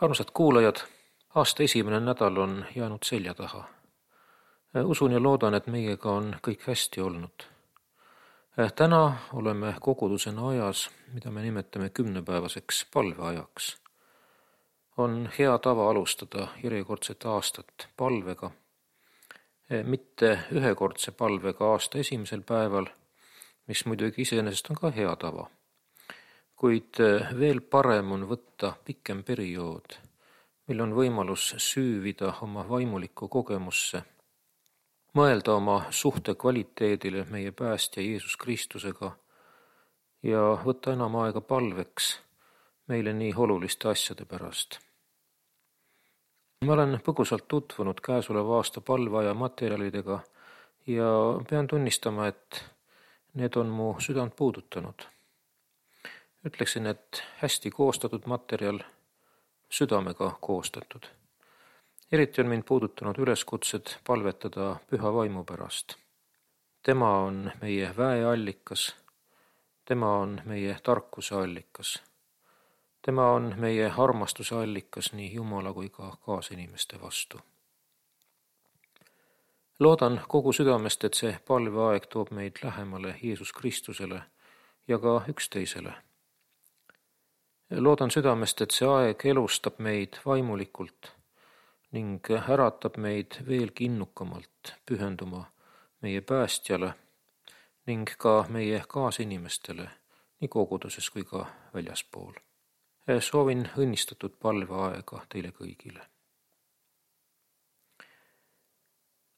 Armsad kuulajad, aasta esimene nädal on jäänud selja taha. Usun ja loodan, et meiega on kõik hästi olnud. Täna oleme kogudusena ajas, mida me nimetame 10-päevaseks palveajaks. On hea tava alustada järjekordset aastat palvega, mitte ühekordse palvega aasta esimesel päeval, mis muidugi iseenesest on ka hea tava. Kuid veel parem on võtta pikem periood, mil on võimalus süüvida oma vaimulikku kogemusse, mõelda oma suhte kvaliteedile meie päästja Jeesus Kristusega ja võtta enam aega palveks meile nii oluliste asjade pärast. Ma olen põgusalt tutvunud käesoleva aasta palveaja materjalidega ja pean tunnistama, et need on mu südant puudutanud. Ütleksin, et hästi koostatud materjal, südamega koostatud. Eriti on mind puudutanud üleskutsed palvetada püha vaimu pärast. Tema on meie väeallikas, tema on meie tarkuse allikas, tema on meie armastuse allikas nii Jumala kui ka kaasinimeste vastu. Loodan kogu südamest, et see palveaeg toob meid lähemale Jeesus Kristusele ja ka üksteisele. Loodan südamest, et see aeg elustab meid vaimulikult ning äratab meid veelgi innukamalt pühenduma meie päästjale ning ka meie kaasinimestele nii koguduses kui ka väljaspool. Soovin õnnistatud palveaega teile kõigile.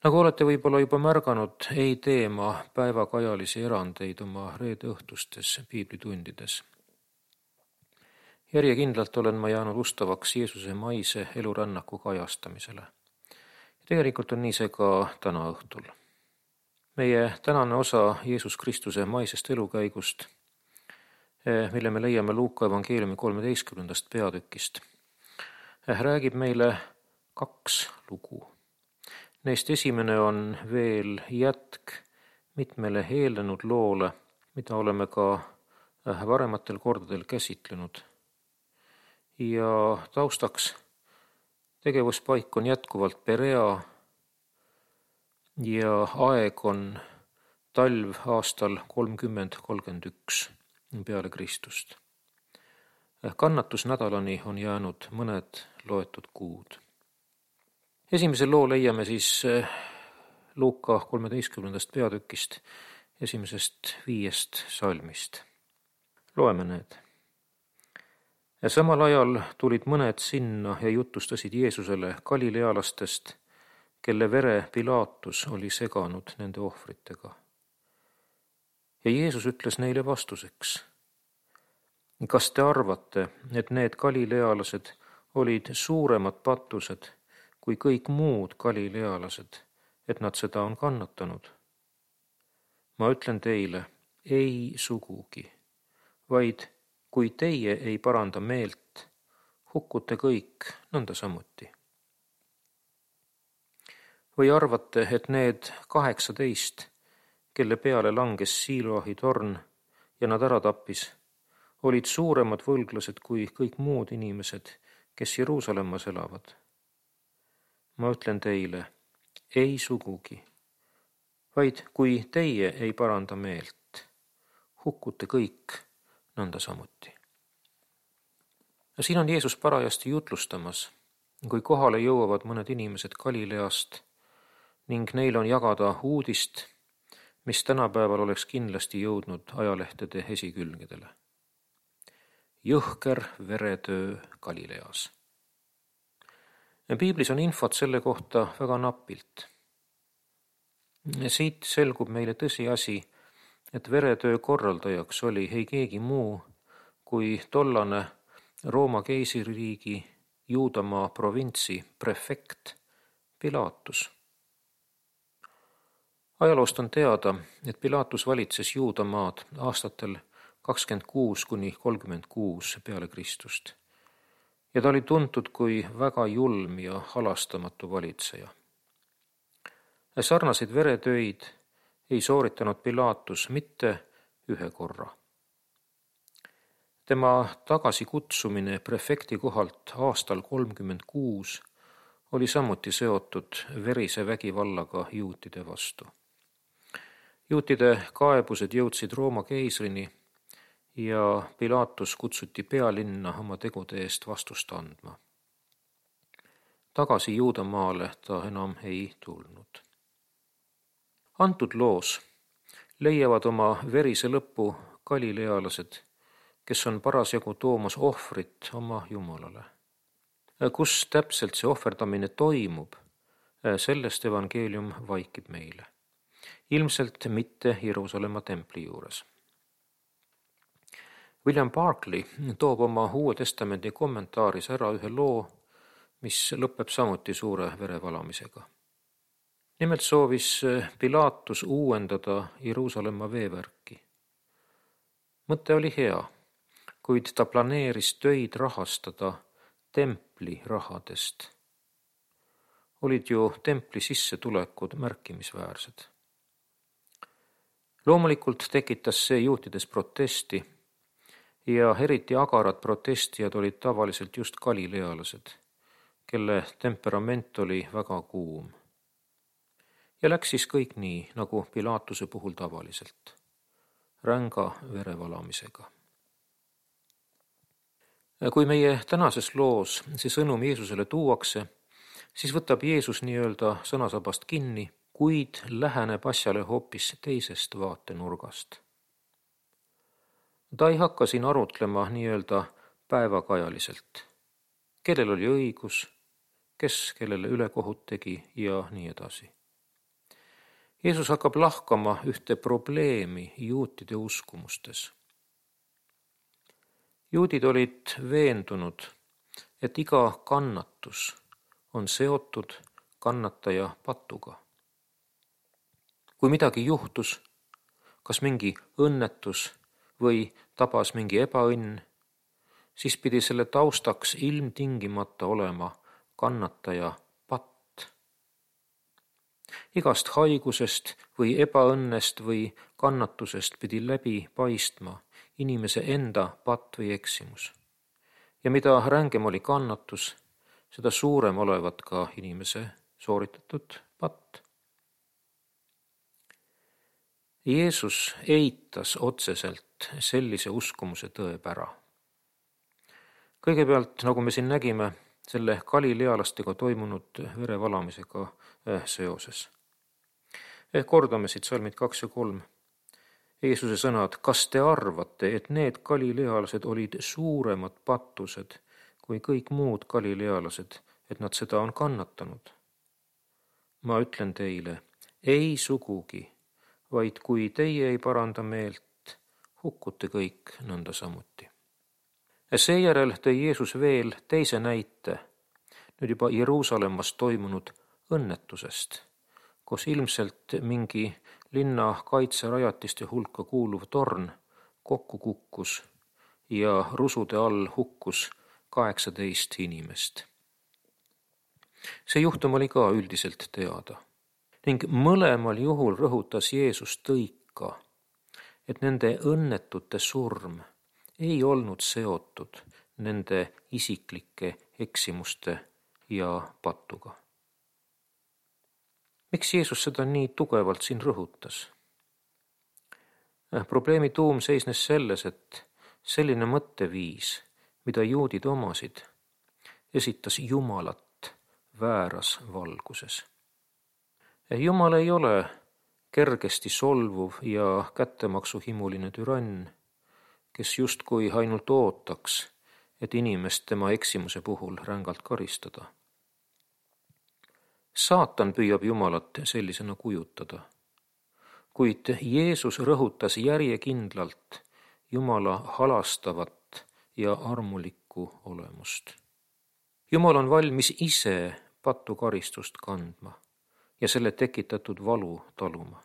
Nagu olete võib-olla juba märganud, ei tee ma päevakajalisi erandeid oma reede õhtustes piiblitundides. Järjekindlalt olen ma jäänud ustavaks Jeesuse maise elurännaku kajastamisele. Tegelikult on nii see ka täna õhtul. Meie tänane osa Jeesus Kristuse maisest elukäigust, mille me leiame Luuka evangeeliumi 13. peatükist, räägib meile 2 lugu. Neist esimene on veel jätk mitmele eelnenud loole, mida oleme ka varematel kordadel käsitlenud. Ja taustaks tegevuspaik on jätkuvalt Perea ja aeg on talv aastal 30-31 peale Kristust. Kannatusnädalani on jäänud mõned loetud kuud. Esimesel loo leiame siis Luuka 13. peatükist 1-5 salmist. Loeme need. Ja samal ajal tulid mõned sinna ja jutustasid Jeesusele galilealastest, kelle vere Pilaatus oli seganud nende ohvritega. Ja Jeesus ütles neile vastuseks: kas te arvate, et need galilealased olid suuremad patused kui kõik muud galilealased, et nad seda on kannatanud? Ma ütlen teile, ei sugugi, vaid kui teie ei paranda meelt, hukkute kõik nõnda samuti. Või arvate, et need 18, kelle peale langes Siloahi torn ja nad ära tappis, olid suuremad võlglased kui kõik muud inimesed, kes Jeruusalemmas elavad? Ma ütlen teile, ei sugugi, vaid kui teie ei paranda meelt, hukkute kõik nõnda samuti. Ja siin on Jeesus parajasti jutlustamas, kui kohale jõuavad mõned inimesed Galileast ning neil on jagada uudist, mis tänapäeval oleks kindlasti jõudnud ajalehtede esikülgedele. Jõhker veretöö Galileas. Piiblis on infot selle kohta väga napilt. Siit selgub meile tõsiasi, et veretöö korraldajaks oli ei keegi muu kui tollane Rooma keisririigi Juudamaa provintsi prefekt Pilaatus. Ajaloost on teada, et Pilaatus valitses Juudamaad aastatel 26-36 peale Kristust ja ta oli tuntud kui väga julm ja halastamatu valitseja. Sarnaseid veretöid ei sooritanud Pilaatus mitte ühe korra. Tema tagasikutsumine prefekti kohalt aastal 36 oli samuti seotud verise vägivallaga juutide vastu. Juutide kaebused jõudsid Rooma keisrini ja Pilaatus kutsuti pealinna oma tegude eest vastust andma. Tagasi Juudamaale ta enam ei tulnud. Antud loos leiavad oma verise lõpu galilealased, kes on parasjagu toomas ohvrit oma Jumalale. Kus täpselt see ohverdamine toimub, sellest evangeelium vaikib meile. Ilmselt mitte Jeruusalemma templi juures. William Barclay toob oma Uue Testamendi kommentaaris ära ühe loo, mis lõpeb samuti suure verevalamisega. Nimelt soovis Pilaatus uuendada Jeruusalemma veevärki. Mõte oli hea, kuid ta planeeris töid rahastada templi rahadest. Olid ju templi sissetulekud märkimisväärsed. Loomulikult tekitas see juutides protesti ja eriti agarad protestijad olid tavaliselt just galilealased, kelle temperament oli väga kuum. Ja läks siis kõik nii, nagu Pilaatuse puhul tavaliselt, ränga verevalamisega. Kui meie tänases loos see sõnum Jeesusele tuuakse, siis võtab Jeesus nii-öelda sõnasabast kinni, kuid läheneb asjale hoopis teisest vaatenurgast. Ta ei hakka siin arutlema nii-öelda päevakajaliselt, kellel oli õigus, kes kellele ülekohut tegi ja nii edasi. Jeesus hakkab lahkama ühte probleemi juutide uskumustes. Juudid olid veendunud, et iga kannatus on seotud kannataja patuga. Kui midagi juhtus, kas mingi õnnetus või tabas mingi ebaõnn, siis pidi selle taustaks ilmtingimata olema kannataja patt. Igast haigusest või ebaõnnest või kannatusest pidi läbi paistma inimese enda patt või eksimus. Ja mida rängem oli kannatus, seda suurem olevat ka inimese sooritatud patt. Jeesus eitas otseselt sellise uskumuse tõepära. Kõigepealt, nagu me siin nägime, selle galilealastega toimunud verevalamisega seoses. Kordame siit salmid 2 ja 3. Jeesuse sõnad, kas te arvate, et need galilealased olid suuremad pattused kui kõik muud galilealased, et nad seda on kannatanud? Ma ütlen teile, ei sugugi, vaid kui teie ei paranda meelt, hukkute kõik nõnda samuti. Seejärel tõi Jeesus veel teise näite, nüüd juba Jeruusalemmas toimunud õnnetusest, kus ilmselt mingi linna kaitserajatiste hulka kuuluv torn kokku kukkus ja rusude all hukkus 18 inimest. See juhtum oli ka üldiselt teada. Ning mõlemal juhul rõhutas Jeesus tõika, et nende õnnetute surm ei olnud seotud nende isiklike eksimuste ja patuga. Miks Jeesus seda nii tugevalt siin rõhutas? Probleemi tuum seisnes selles, et selline mõtteviis, mida juudid omasid, esitas Jumalat vääras valguses. Jumal ei ole kergesti solvuv ja kättemaksuhimuline türann, kes justkui ainult ootaks, et inimest tema eksimuse puhul rängalt karistada. Saatan püüab Jumalat sellisena kujutada, kuid Jeesus rõhutas järjekindlalt Jumala halastavat ja armulikku olemust. Jumal on valmis ise patukaristust kandma ja selle tekitatud valu taluma.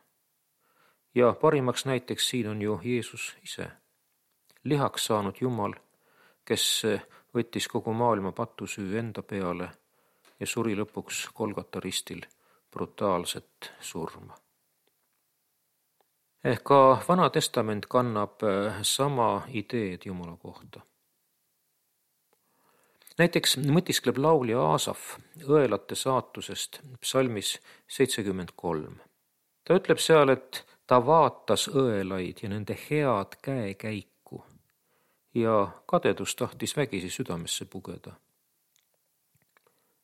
Ja parimaks näiteks siin on ju Jeesus ise, lihaks saanud Jumal, kes võttis kogu maailma patusüü enda peale ja suri lõpuks Golgata ristil brutaalset surma. Ka Vana Testament kannab sama ideed Jumala kohta. Näiteks mõtiskleb laulja Aasaf õelate saatusest psalmis 73. Ta ütleb seal, et ta vaatas õelaid ja nende head käekäiku ja kadedus tahtis vägisi südamesse pugeda.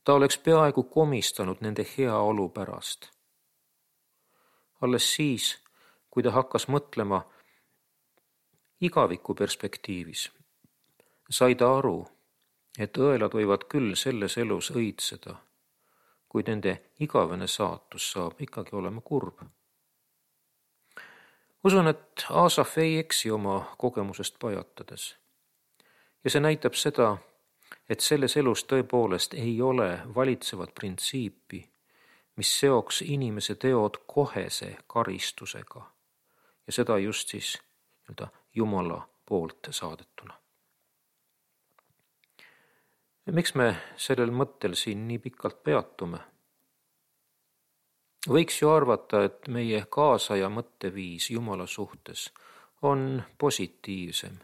Ta oleks peaaegu komistanud nende heaolu pärast. Alles siis, kui ta hakkas mõtlema igaviku perspektiivis, sai ta aru, et õelad võivad küll selles elus õitseda, kuid nende igavene saatus saab ikkagi olema kurb. Usun, et Aasaf ei eksi oma kogemusest pajatades. Ja see näitab seda, et selles elus tõepoolest ei ole valitsevat printsiipi, mis seoks inimese teod kohese karistusega ja seda just siis Jumala poolt saadetuna. Miks me sellel mõttel siin nii pikalt peatume? Võiks ju arvata, et meie kaasaja mõtteviis Jumala suhtes on positiivsem,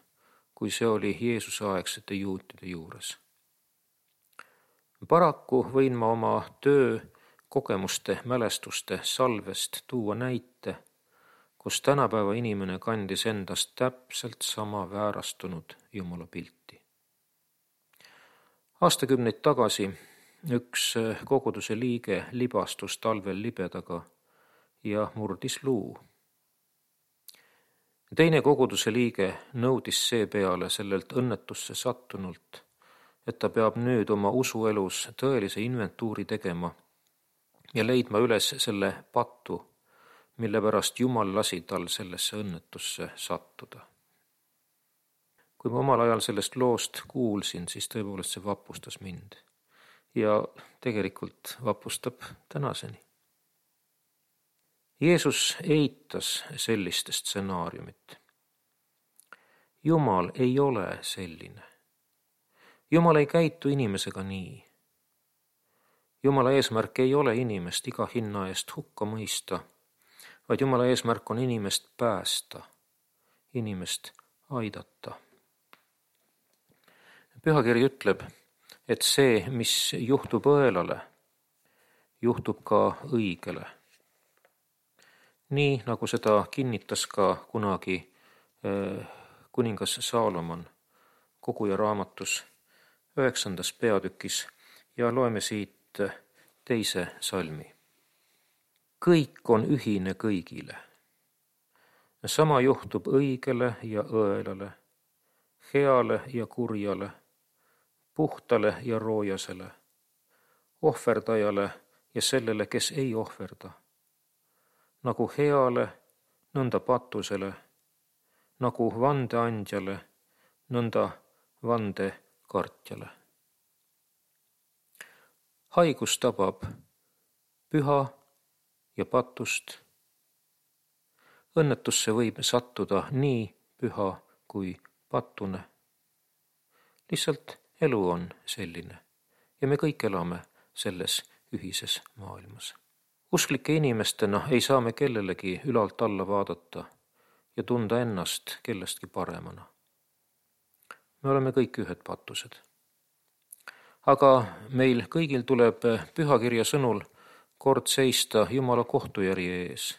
kui see oli Jeesuse aegsete juutide juures. Paraku võin ma oma töö kogemuste mälestuste salvest tuua näite, kus tänapäeva inimene kandis endast täpselt sama väärastunud Jumala pilti. Aastakümneid tagasi üks koguduse liige libastus talvel libedaga ja murdis luu. Teine koguduse liige nõudis seepeale sellelt õnnetusse sattunult, et ta peab nüüd oma usuelus tõelise inventuuri tegema ja leidma üles selle patu, mille pärast Jumal lasi tal sellesse õnnetusse sattuda. Kui ma omal ajal sellest loost kuulsin, siis tõepoolest see vapustas mind ja tegelikult vapustab tänaseni. Jeesus eitas sellist stsenaariumit. Jumal ei ole selline. Jumal ei käitu inimesega nii. Jumala eesmärk ei ole inimest iga hinna eest hukka mõista, vaid Jumala eesmärk on inimest päästa, inimest aidata. Pühakiri ütleb, et see, mis juhtub õelale, juhtub ka õigele. Nii nagu seda kinnitas ka kunagi kuningas Saalomon Koguja raamatus 9. peatükis ja loeme siit 2. salmi. Kõik on ühine kõigile. Sama juhtub õigele ja õelale, heale ja kurjale, puhtale ja roojasele, ohverdajale ja sellele, kes ei ohverda. Nagu heale, nõnda patusele, nagu vandeandjale, nõnda vandekartjale. Haigus tabab püha ja patust. Õnnetusse võib sattuda nii püha kui patune. Lihtsalt elu on selline ja me kõik elame selles ühises maailmas. Usklike inimestena ei saa me kellelegi ülalt alla vaadata ja tunda ennast kellestki paremana. Me oleme kõik ühed patused. Aga meil kõigil tuleb pühakirja sõnul kord seista Jumala kohtujärje ees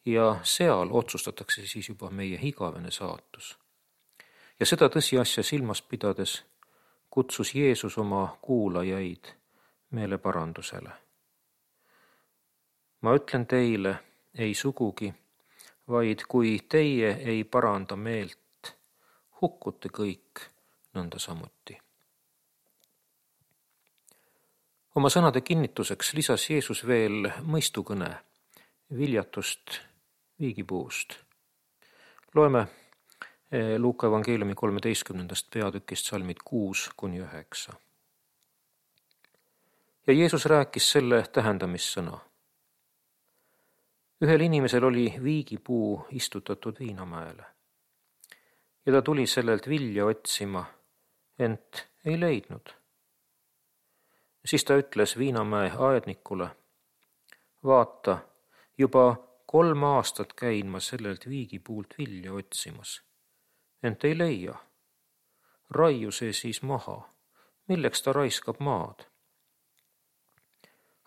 ja seal otsustatakse siis juba meie igavene saatus. Ja seda tõsiasja silmas pidades kutsus Jeesus oma kuulajaid meeleparandusele. Ma ütlen teile, ei sugugi, vaid kui teie ei paranda meelt, hukkute kõik nõnda samuti. Oma sõnade kinnituseks lisas Jeesus veel mõistukõne viljatust viigipuust. Loeme Luuka evangeeliumi 13. peatükist salmid 6-9. Ja Jeesus rääkis selle tähendamissõna. Ühel inimesel oli viigipuu istutatud viinamäele ja ta tuli sellelt vilja otsima, ent ei leidnud. Siis ta ütles viinamäe aednikule, vaata, juba 3 aastat käin ma sellelt viigipuult vilja otsimas, ent ei leia. Raiu see siis maha, milleks ta raiskab maad?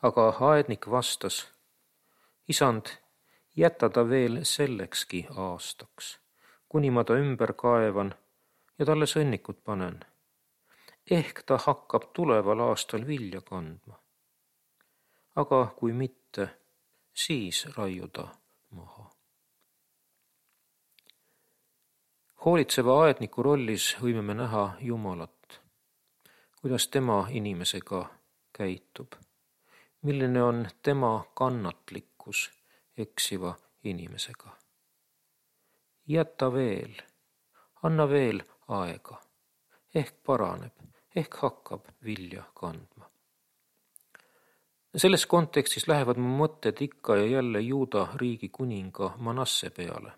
Aga aednik vastas, isand, jäta ta veel sellekski aastaks, kuni ma ta ümber kaevan ja talle sõnnikut panen. Ehk ta hakkab tuleval aastal vilja kandma. Aga kui mitte, siis raiu ta maha. Hoolitseva aedniku rollis võime me näha Jumalat, kuidas tema inimesega käitub, milline on tema kannatlikkus eksiva inimesega. Jäta veel, anna veel aega, ehk paraneb, ehk hakkab vilja kandma. Selles kontekstis lähevad mu mõtted ikka ja jälle Juuda riigi kuninga Manasse peale.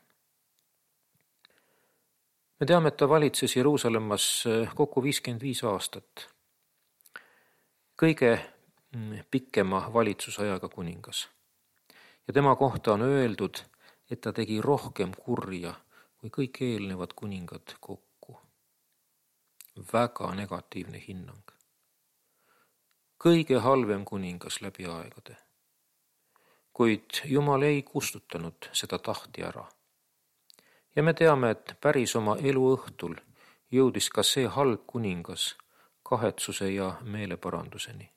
Me teame, et ta valitses Jeruusalemmas kokku 55 aastat. Kõige pikema valitsusajaga kuningas. Ja tema kohta on öeldud, et ta tegi rohkem kurja kui kõik eelnevad kuningad kokku. Väga negatiivne hinnang. Kõige halvem kuningas läbi aegade. Kuid Jumal ei kustutanud seda tahti ära. Ja me teame, et päris oma eluõhtul jõudis ka see halb kuningas kahetsuse ja meeleparanduseni.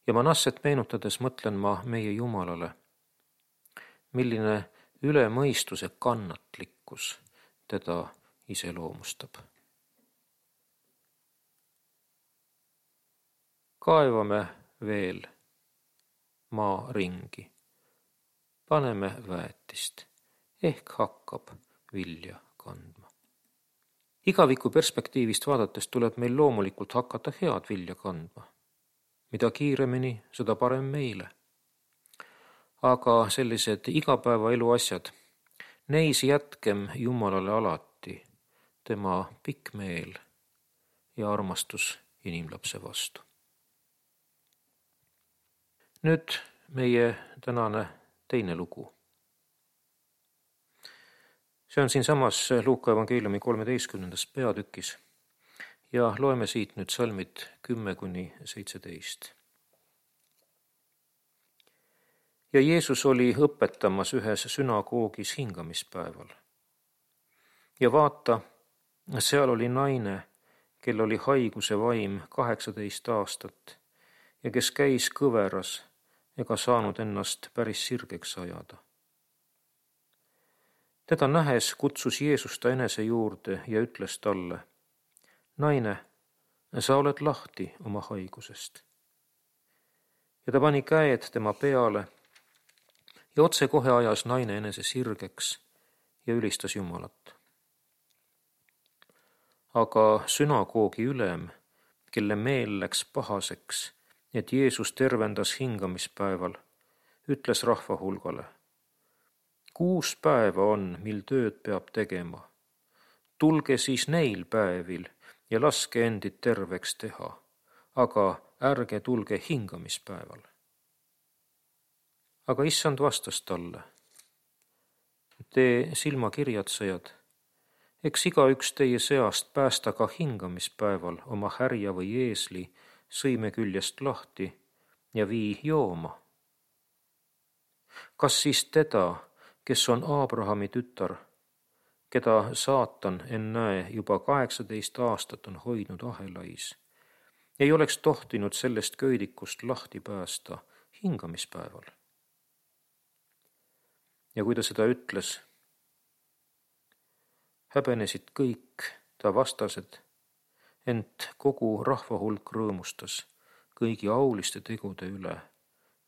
Ja Manasset meenutades mõtlen ma meie Jumalale, milline üle mõistuse kannatlikkus teda iseloomustab. Kaevame veel maa ringi, paneme väetist, ehk hakkab vilja kandma. Igaviku perspektiivist vaadates tuleb meil loomulikult hakata head vilja kandma. Mida kiiremini, seda parem meile. Aga sellised igapäevaelu asjad, neis jätkem Jumalale alati tema pikk meel ja armastus inimlapse vastu. Nüüd meie tänane teine lugu. See on siinsamas Luuka evangeeliumi 13. peatükis ja loeme siit nüüd salmid 10-17. Ja Jeesus oli õpetamas ühes sünagoogis hingamispäeval. Ja vaata, seal oli naine, kel oli haiguse vaim 18 aastat ja kes käis kõveras ega saanud ennast päris sirgeks ajada. Teda nähes kutsus Jeesus ta enese juurde ja ütles talle, naine, sa oled lahti oma haigusest. Ja ta pani käed tema peale ja otse kohe ajas naine enese sirgeks ja ülistas Jumalat. Aga sünagoogi ülem, kelle meel läks pahaseks, et Jeesus tervendas hingamispäeval, ütles rahva hulgale, 6 päeva on, mil tööd peab tegema. Tulge siis neil päevil ja laske endid terveks teha, aga ärge tulge hingamispäeval. Aga issand vastas talle, te silmakirjatsejad, eks igaüks teie seast päästa ka hingamispäeval oma härja või eesli sõime küljest lahti ja vii jooma. Kas siis teda, kes on Aabrahami tütar, keda saatan ennäe juba 18 aastat on hoidnud ahelais, ei oleks tohtinud sellest köidikust lahti päästa hingamispäeval? Ja kui ta seda ütles, häbenesid kõik ta vastased, ent kogu rahva hulk rõõmustas kõigi auliste tegude üle,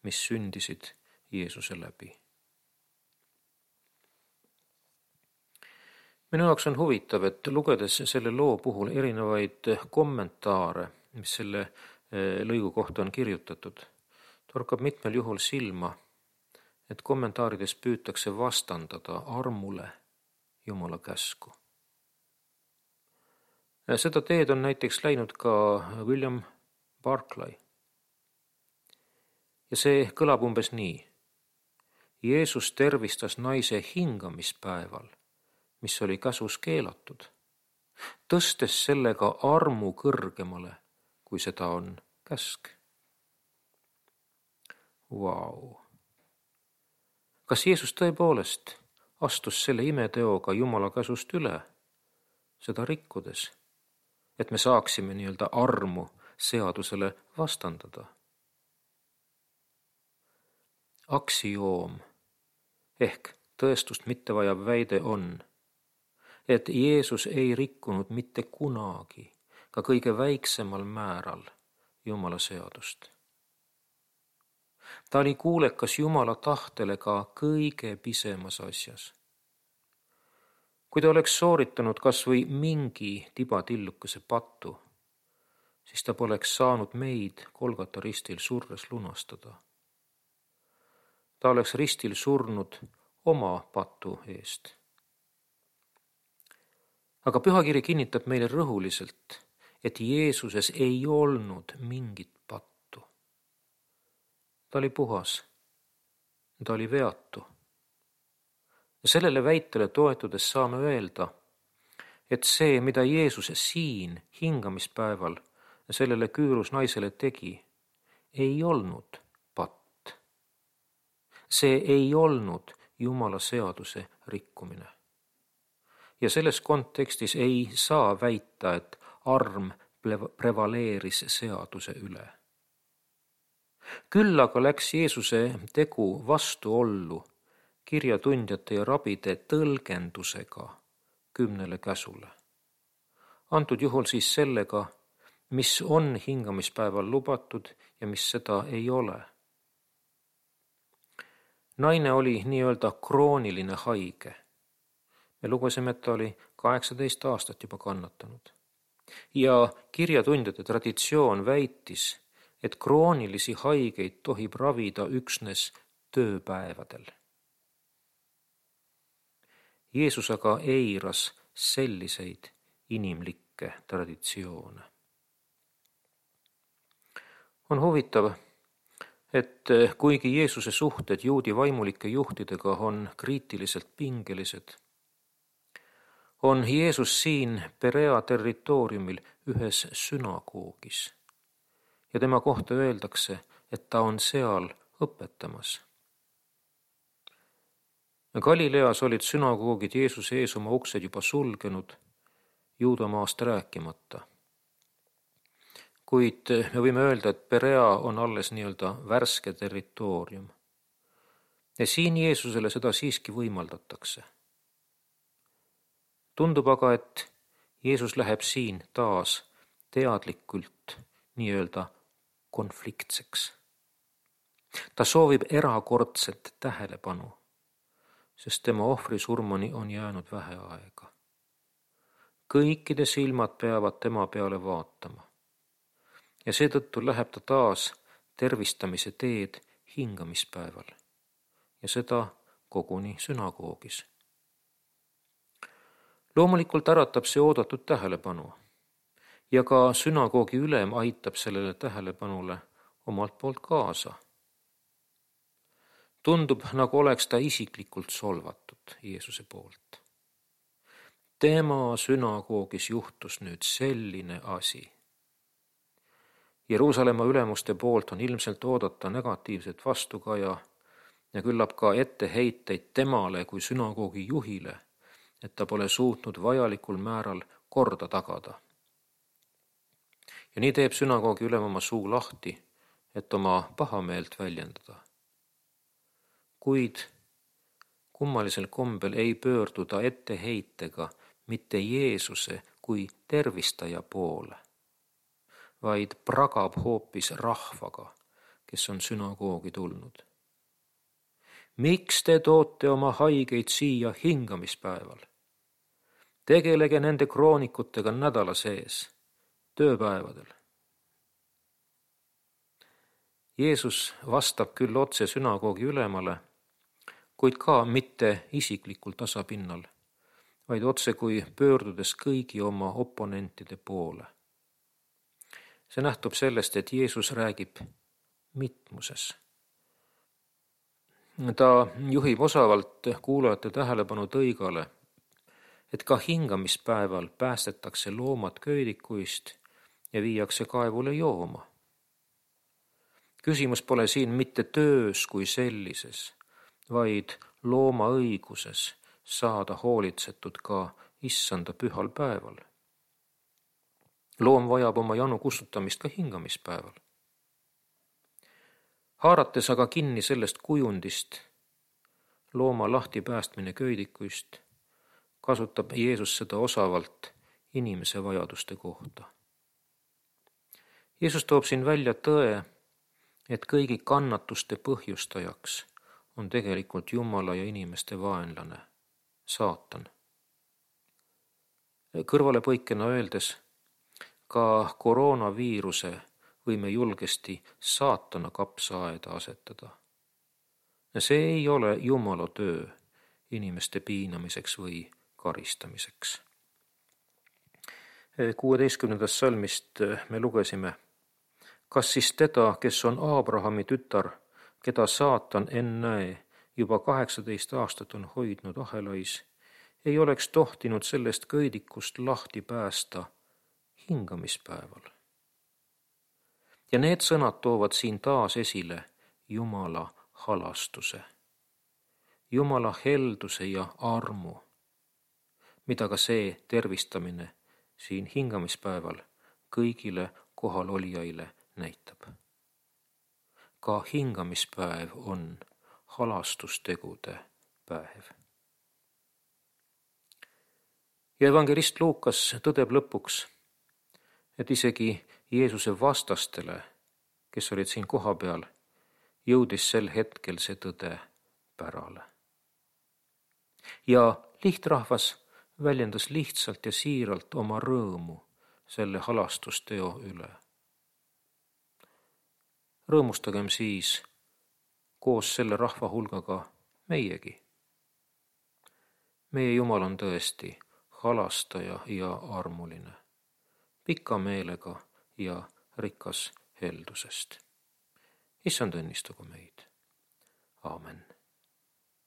mis sündisid Jeesuse läbi. Minu jaoks on huvitav, et lugedes selle loo puhul erinevaid kommentaare, mis selle lõigu kohta on kirjutatud, torkab mitmel juhul silma, et kommentaarides püütakse vastandada armule Jumala käsku. Seda teed on näiteks läinud ka William Barclay. Ja see kõlab umbes nii. Jeesus tervistas naise hingamispäeval, mis oli käsus keelatud, tõstes sellega armu kõrgemale, kui seda on käsk. Vau! Kas Jeesus tõepoolest astus selle imeteoga Jumala käsust üle, seda rikkudes, et me saaksime nii-öelda armu seadusele vastandada? Aksioom ehk tõestust mittevajav väide on, et Jeesus ei rikkunud mitte kunagi, ka kõige väiksemal määral Jumala seadust. Ta oli kuulekas Jumala tahtele ka kõige pisemas asjas. Kui ta oleks sooritanud kas või mingi tibatillukese pattu, siis ta poleks saanud meid Golgata ristil surres lunastada. Ta oleks ristil surnud oma patu eest. Aga Pühakiri kinnitab meile rõhuliselt, et Jeesuses ei olnud mingit pattu. Ta oli puhas, ta oli veatu. Ja sellele väitele toetudes saame öelda, et see, mida Jeesus siin hingamispäeval sellele küürus naisele tegi, ei olnud patt. See ei olnud Jumala seaduse rikkumine. Ja selles kontekstis ei saa väita, et arm prevaleeris seaduse üle. Küll aga läks Jeesuse tegu vastuollu kirjatundjate ja rabide tõlgendusega 10 käsule. Antud juhul siis sellega, mis on hingamispäeval lubatud ja mis seda ei ole. Naine oli nii-öelda krooniline haige. Me lugesime, et ta oli 18 aastat juba kannatanud. Ja kirjatundjate traditsioon väitis, et kroonilisi haigeid tohib ravida üksnes tööpäevadel. Jeesus aga eiras selliseid inimlikke traditsioone. On huvitav, et kuigi Jeesuse suhted juudi vaimulike juhtidega on kriitiliselt pingelised, on Jeesus siin Perea territooriumil ühes sünagoogis ja tema kohta öeldakse, et ta on seal õpetamas. Galileas olid sünagoogid Jeesuse ees oma uksed juba sulgenud, Juudamaast rääkimata. Kuid me võime öelda, et Perea on alles nii-öelda värske territoorium. Ja siin Jeesusele seda siiski võimaldatakse. Tundub aga, et Jeesus läheb siin taas teadlikult nii-öelda konfliktseks. Ta soovib erakordset tähelepanu, sest tema ohvrisurmani on jäänud vähe aega. Kõikide silmad peavad tema peale vaatama. Ja seetõttu läheb ta taas tervistamise teed hingamispäeval ja seda koguni sünagoogis. Loomulikult äratab see oodatud tähelepanu ja ka sünagoogi ülem aitab sellele tähelepanule omalt poolt kaasa. Tundub, nagu oleks ta isiklikult solvatud Jeesuse poolt. Tema sünagoogis juhtus nüüd selline asi. Jeruusalemma ülemuste poolt on ilmselt oodata negatiivset vastukaja ja küllap ka etteheiteid temale kui sünagoogi juhile, et ta pole suutnud vajalikul määral korda tagada. Ja nii teeb sünagoogi ülem oma suu lahti, et oma pahameelt väljendada. Kuid kummalisel kombel ei pöörduda etteheitega mitte Jeesuse kui tervistaja poole, vaid pragab hoopis rahvaga, kes on sünagoogi tulnud. Miks te toote oma haigeid siia hingamispäeval? Tegelege nende kroonikutega nädala sees, tööpäevadel. Jeesus vastab küll otse sünagoogi ülemale, kuid ka mitte isiklikul tasapinnal, vaid otse kui pöördudes kõigi oma oponentide poole. See nähtub sellest, et Jeesus räägib mitmuses. Ta juhib osavalt kuulajate tähelepanu tõigale, et ka hingamispäeval päästetakse loomad köidikuist ja viiakse kaevule jooma. Küsimus pole siin mitte töös kui sellises, vaid looma õiguses saada hoolitsetud ka issanda pühal päeval. Loom vajab oma janu kustutamist ka hingamispäeval. Haarates aga kinni sellest kujundist, looma lahtipäästmine köidikuist, kasutab Jeesus seda osavalt inimese vajaduste kohta. Jeesus toob siin välja tõe, et kõigi kannatuste põhjustajaks on tegelikult Jumala ja inimeste vaenlane, saatan. Kõrvalepõikena öeldes, ka koroonaviiruse võime julgesti saatana kapsaaeda asetada. See ei ole Jumala töö inimeste piinamiseks või karistamiseks. 16. salmist me lugesime: kas siis teda, kes on Aabrahami tütar, keda saatan ennäe juba 18 aastat on hoidnud ahelais, ei oleks tohtinud sellest köidikust lahti päästa hingamispäeval? Ja need sõnad toovad siin taas esile Jumala halastuse, Jumala helduse ja armu, mida ka see tervistamine siin hingamispäeval kõigile kohalolijaile näitab. Ka hingamispäev on halastustegude päev. Ja evangelist Luukas tõdeb lõpuks, et isegi Jeesuse vastastele, kes olid siin kohapeal, jõudis sel hetkel see tõde pärale. Ja lihtrahvas väljendas lihtsalt ja siiralt oma rõõmu selle halastusteo üle. Rõõmustagem siis koos selle rahva hulgaga meiegi. Meie Jumal on tõesti halastaja ja armuline, pika meelega ja rikas heldusest. Issand õnnistagu meid. Aamen.